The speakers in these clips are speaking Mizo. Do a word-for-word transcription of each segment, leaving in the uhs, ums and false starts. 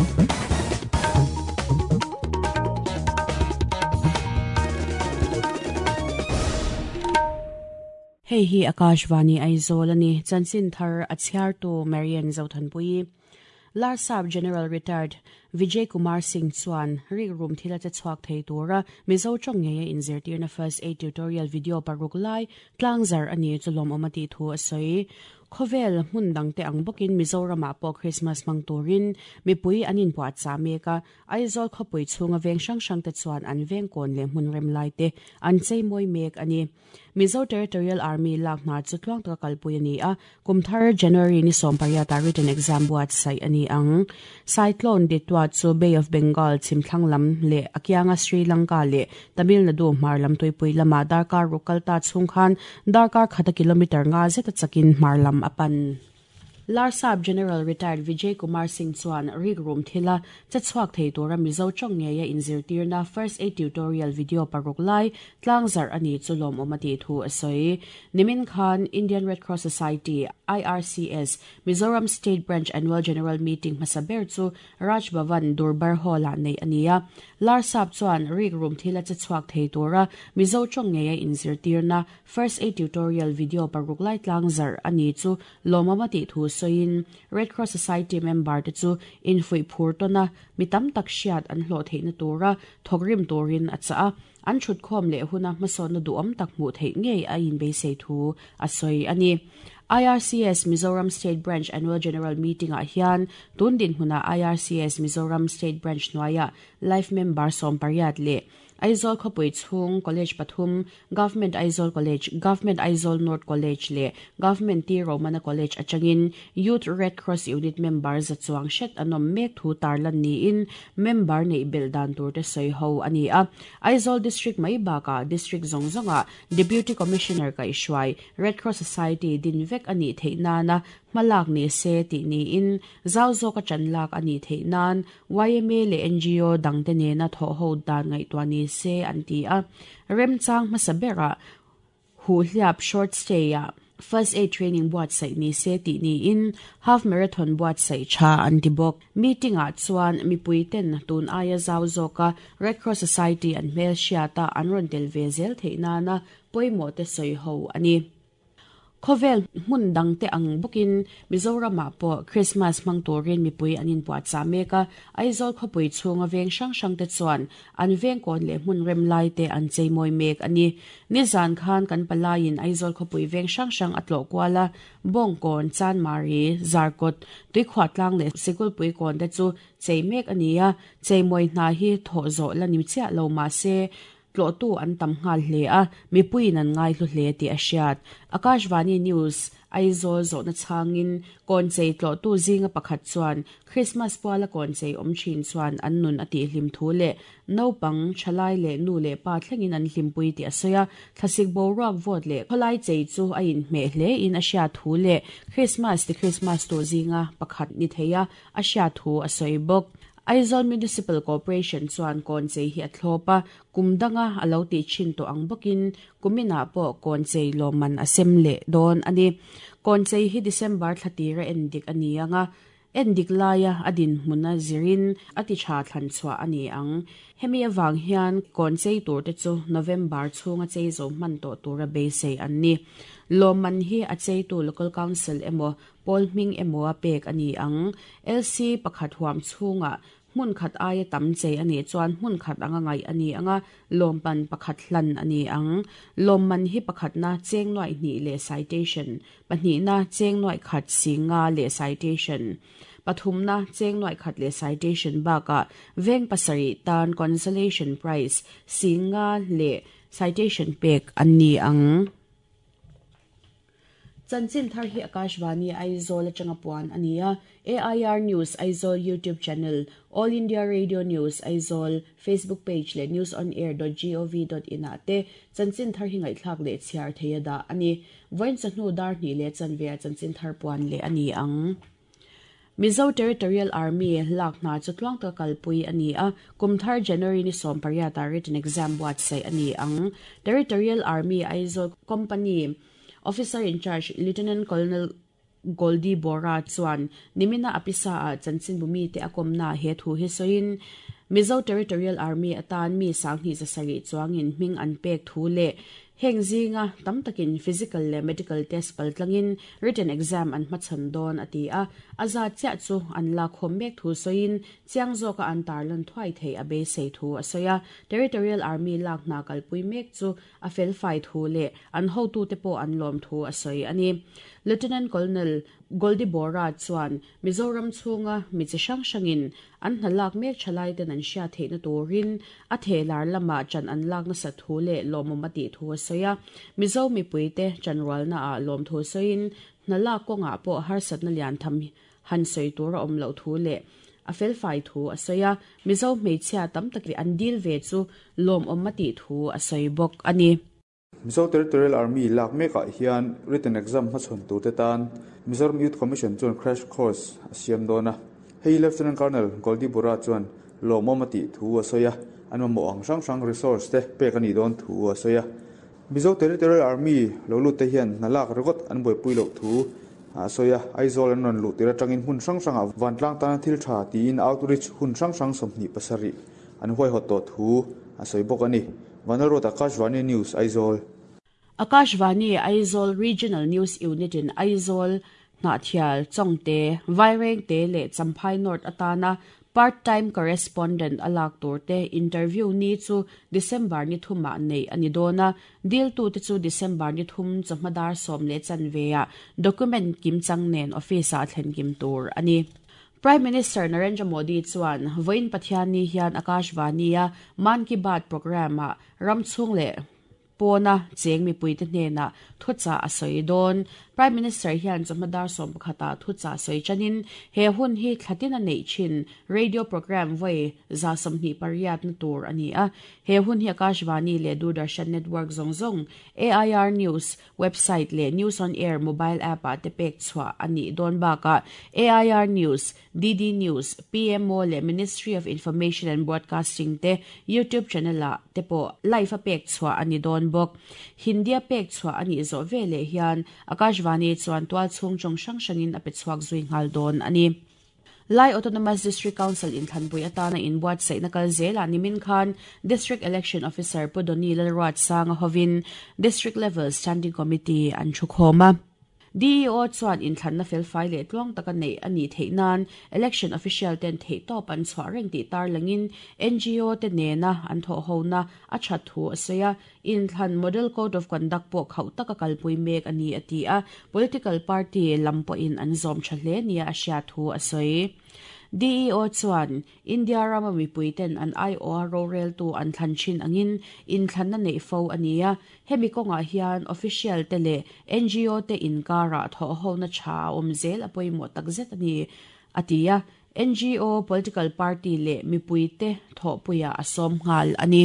Hei hi Akashvani Aizawl ani chanchin thar a chhiartu Marian Zothanpui Larsap General Retired Vijay Kumar Singh chuan rik rum thila che chhuak thei tura Mizo tawng ngeia inzirtirna first aid tutorial video paruk lai tlangzar ani chulawm awm a tih thu a sawi. Khawvel hmun dangte ang bawkin Mizoramah pawh Christmas hmang turin mipui an inpuah chah mek a, Aizawl khawpui chhunga veng hrang hrang te chuan an veng kawn leh hmun rem lai te an chei mawi mek a ni. Mizo Territorial Army lak hna chu tluang taka kalpui a ni a, kum thar January ni sawm pariata written exam buatsaih a ni ang. Cyclone Ditwah chu Bay of Bengal chhimthlang lam leh a kianga Sri Lanka leh Tamil Nadu hmar lam tuipui lamah darkar ruk kalta chhung khan darkar khata kilometer nga zeta chakin hmar lam a pan. Larsap General Retired Vijay Kumar Singh chuan rik rum thila che chhuak thei tura Mizo tawng ngeia inzirtirna first aid tutorial video paruk lai tlangzar ani chu lawm awm a tih thu a sawi. Nimin khan Indian Red Cross Society I R C S Mizoram State Branch Annual General Meeting hmasa ber chu Raj Bhavan Durbar Hall-ah nei a ni a. Larsap chuan rik rum thila che chhuak thei tura Mizo tawng ngeia inzirtirna first aid tutorial video paruk lai tlangzar ani chu lawm awm a tih thu soin Red Cross Society member te chu infui phur tona mitam tak hriat an hlawh theihna tura thawkrim turin a cha a, an thut khawm leh huna hmasawnna duhawm tak hmuh theih ngei a inbeisei thu a sawi a ni. I R C S Mizoram State Branch Annual General Meeting ah hian tun din hmuna I R C S Mizoram State Branch hnuaia life member sawm pariat leh Aizawl khawpui chhung College pathum Government Aizawl College, Government Aizawl North College leh Government T Romana College atangin Youth Red Cross Unit member za chuang hret an awm mek thu tarlan niin member neih belh dan tur te sawi ho a ni a. Aizawl District mai bakah District zawng zawnga Deputy Commissioner kaihhruai Red Cross Society din vek a nih theih nana hmalak ni se tih niin zau zawk a chan lak a nih theih nan Y M A leh N G O dangte nena thawh ho dan ngaihtuah ni se an ti a. Remchang hmasa berah hu hliap short stay ah first aid training buatsaih ni se tih niin half marathon buatsaih tha an ti bawk. Meeting ah chuan mipui ten tun aia zau zawka Red Cross Society an hmel hriata an rawn tel ve zel theih nana pawimawh te sawi ho a ni. Khawvel hmun dangte ang bawkin Mizoramah pawh Christmas hmang turin mipui an inpuah chah mek a, Aizawl khawpui chhunga veng hrang hrang te chuan an veng kawn leh hmun rem lai te an chei mawi mek a ni. Nizan khan kan palaiin Aizawl khawpui veng hrang hrang a tlawh kual a, Bawngkawn, Chanmari, Zarkawt, Tuikhuah tlang leh Sikulpui kawn te chu chei mek a ni a, chei mawi hna hi thawh zawh la ni chiah lo mah se tlawhtu an tam nghal hle a, mipuiin an ngai hlu hle tih a hriat. Akashvani News Aizawl zawhna chhangin kawn chei tlawhtu zinga pakhat chuan Christmas puala kawn chei awm thin chuan an nun a tih hlim thu leh naupang thalai leh nu leh pa thlengin an hlimpui tih a sawi a, thlasik boruak vawt leh khawlai chei chu a inhmeh hle in a hriat thu leh Christmas ti Christmas tur zinga pakhat ni thei a, a hriat thu a sawi bawk. Aizawl Municipal Corporation chuan kawn chei hi a thlawp a, kum danga a lo tih thin tawh ang bawkin kuminah pawh kawn chei lawmman a sem leh dawn a ni. Kawn chei hi December thlatira en dik a ni anga, en dik laia a din hmuna zirin a ti tha thlan chhuah a ni ang. Hemi awang hian kawn chei tur te chu November chhunga chei zo hman tawh tura beisei an ni. Lawmman hi a cheitu Local Council emaw pawl hming emaw a pek a ni ang. L C pakhat huam chhunga hmun khat aia tam chei a nih chuan hmun khat anga ngaih a ni anga, lawmpan pakhat hlan a ni ang. Lawmman hi pakhatna cheng nuai hnih leh citation, pahnihna cheng nuai khat singa leh citation, pathumna cheng nuai khat leh citation bakah veng pasari tan consolation prize singa leh citation pek an ni ang. Chanchin thar hi Akashvani Aizawl atanga puan a ni a, A I R News Aizawl YouTube channel, All India Radio News Aizawl Facebook page leh news on air dot gov dot in ah te chanchin thar hi ngaihthlak leh chhiar thei a dah a ni. Vawiin chawhnu dar hnih leh chanve a chanchin thar puan leh a ni ang. Mizo Territorial Army lak hna chu tluang taka kalpui a ni a, kum thar January ni sawm pariata written exam buatsaih a ni ang. Territorial Army Aizawl Company Officer in Charge Lieutenant Colonel Goldie Bora chuan nimina apisa a chanchin bumi te akomna he thu hi soin Mizo Territorial Army atan mi sangni zasari chuangin hming an pek thu le hengzinga tamtakin physical le medical test paltlangin written exam an hmachan don ati a aza cha chu an la khom mek thu soin chiangzo ka an tarlan thwai thei a be sei thu asoya Territorial Army lak na kalpui mek chu a fel fai thu le an ho tu te po an lom thu asoi ani Lieutenant Colonel Goldie Bora chuan Mizoram chunga mi chi hrang hrangin an hnalak mek thalai ten an hria theihna turin a thelar lama chan an lak na sa thu le lawmawm ti thu a sawi Mizo mipui te chanrualna ah lawm thu sawiin hnalak kawngah pawh harsatna lian tham han sawi tur a awm loh thu le a fel fai thu a sawi a Mizo hmeichhia tam tak an dil ve chu lawmawm ti thu a sawi bawk ani. Mizo Territorial Army lak mekah hian written exam hmachhawn tur te tan Mizoram Youth Commission chuan crash course a siam dawn a hei Lieutenant Colonel Goldie Bora chuan lawmawm ti thu a sawi a an mamawh ang hrang hrang resource te pek ani dawn thu a sawi a Mizo Territorial Army lo lut te hian hnalak regot an buaipui loh thu a sawi a Aizawl an rawn luh tir atangin hun hrang hrangah vantlang tana thil tha tiin outreach hun hrang hrang sawmhnih pasarih an huaihawt tawh thu a sawi bawk ani. Vanalrot Akashvani News Aizawl. Akashvani Aizawl Regional News Unit in Aizawl Hnahthial Chawngte Vairengte le Champhai North atana part-time correspondent alak turte interview ni chu December ni thuma nei ani dona deal tu te chu December ni thum chawhmadar sawm le chanvea document kim chang nen office a thlen kim tur ani. Prime Minister Narendra Modi chuan voin Pathian ni hian Akashvani a Mann Ki Baat program a ramchhung le pona cheng mi puite hnena thucha a sawi dawn. Prime Minister hian chawhmadar sawm pakhata thucha sawi chanin he hun hi thlatin a nei thin radio program voi za sawmhnih pariat na tur ani a he hun hi Akashvani le Doordarshan Network zawng zawng A I R News website le News on Air mobile app a te pek chhuah ani dawn bakah A I R News, D D News, P M O le Ministry of Information and Broadcasting te YouTube channel a te pawh live a pek chhuah ani dawn bawk. Hindi a pek chhuah ani zawh veleh hian Akashvani chuan tual chhung chawng hrang hrangin a pe chhuak zui nghal dawn ani. Lai Autonomous District Council in Thanpui atana in buatsaihna kal zela nimin khan District Election Officer Pudoni Lalruat Sanga hovin District Level Standing Committee an thukhawm a. D E O chuan in thlanna fel fai leh tluang taka nei ani theih nan election official ten theih tawp an chhuah reng tih tar langin N G O te nena an thawh hona a that thu a sawi a in thlan model code of conduct pawh khauh taka kalpui mek ani a ti a political party lam pawhin an zawm tha hle nia a hria thu a sawi. D E O chuan India rama mipui ten an I O a rorel tu an thlan thin angin in thlanna nei fo ania hemi kawngah hian official te le N G O te inkara thawh hona tha awm zel a pawimawh takzet ani a ti a N G O political party le mipui te thawhpuia a sawm nghal ani.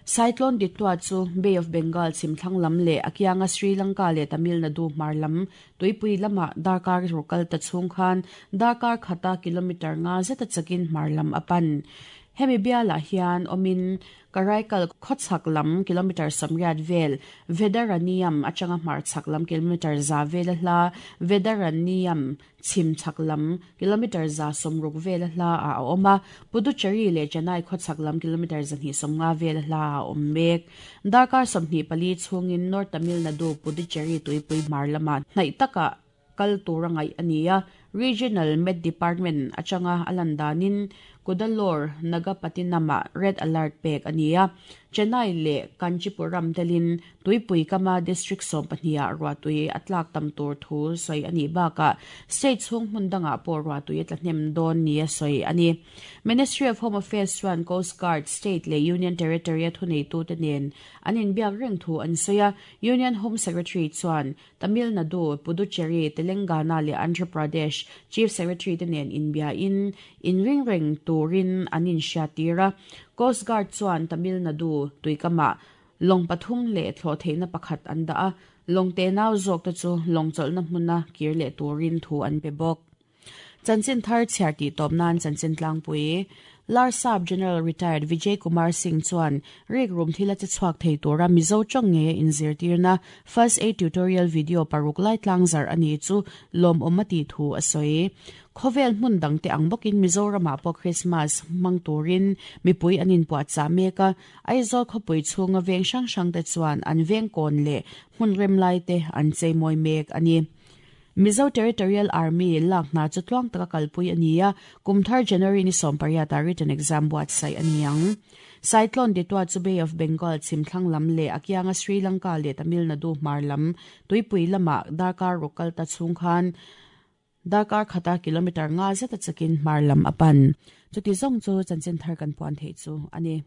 Cyclone Ditwa chu Bay of Bengal chhimthlang lam le akianga Sri Lanka le Tamil Nadu hmar lam tuipui lama darkar rukal ta chhung khan darkar khata kilometer nga zeta chakin hmar lam apan. Hemi biala hian omin Karaikal khawchhak lam kilometer samriat vel Vedaraniam atanga hmar chhak lam kilometer za vel hla Vedaraniam chhim chhak lam kilometer za sawmruk vel hla a awm a Puducherry le Chennai khawchhak lam kilometer zahnih sawmnga vel hla a awm mek. Darkar sawmhnih pali chhungin North Tamil Nadu Puducherry tuipui hmar lama hnaih taka kal tura ngaih ani a Regional Med Department atanga alan danin Kudalore Nagapattinama red alert pek ania Chennai le Kanchipuram telin tuipui kama district sawm pahnih ruatui atlak tam tur thu sawi ani baka state chhung hmun danga pawh ruatui atla hnem dawn nia sawi ani. Ministry of Home Affairs chuan Coast Guard state le Union Territory a thunei tu te nen an inbiak reng thu an sawi a Union Home Secretary chuan Tamil Nadu, Puducherry, Telangana le Andhra Pradesh Chief Secretary te nen inbia in in ring reng turin an inhria tir a Coast Guard chuan Tamil Nadu tuikama lawng pathum le thlawh theihna pakhat an dah a lawng te nau zawk te chu lawng chawlhna hmuna kir leh turin thu an pe bawk. Chanchin thar chhiar ti tawp nan chanchin tlangpui. Larsap General Retired Vijay Kumar Singh chuan rek rum thila che chuak thei tura Mizo chong nge in zirtirna first aid tutorial video paruk lai tlangzar ani chu lom omati thu asoi. Khovel hmun dang te ang bokin Mizoram po Christmas mang turin mipui anin puat cha meka Aizawl khopui chunga veng sang sang te chuan an veng kon le hmun rem lai te an chei moi mek ani. Mizo Territorial Army lak na chu tluang taka kalpui ania kumthar January ni sompariata written exam buat sai aniang. Cyclone Ditwa chu Bay of Bengal chimthlang lam le akianga Sri Lanka le Tamil Nadu mar lam tuipui lama darkar rokal ta chungkhan darkar khata kilometer nga zeta chakin mar lam apan. Chuti zong chu chanchin thar kan puan thei chu ani.